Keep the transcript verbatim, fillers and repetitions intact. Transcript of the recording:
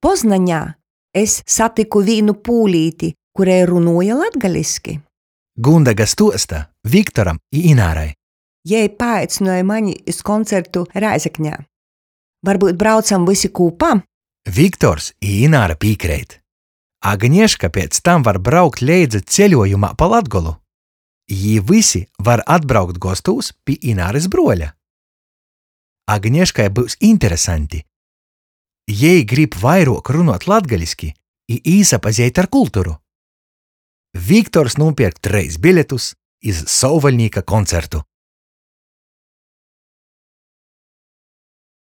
Poznaņā es satyku vīnu pūlīti, kurei runuoja latgaliski. Gundega stuosta Viktoram i Inārai. Jei paaicynuoja mani iz koncertu Rēzeknē. Varbyut braucam vysi kūpā? Viktors i Ināra pīkreit. Agnieška piec tam var braukt leidza ceļuojumā pa Latgolu. Jī vysi var atbraukt gostūs pi Inārys bruoļa. Agnieškai byus interesanti. Jei grib vairuok runuot latgaliski i īsapazeit ar kulturu. Viktors nūpierk treis biļetus iz Sovvaļnīka koncertu.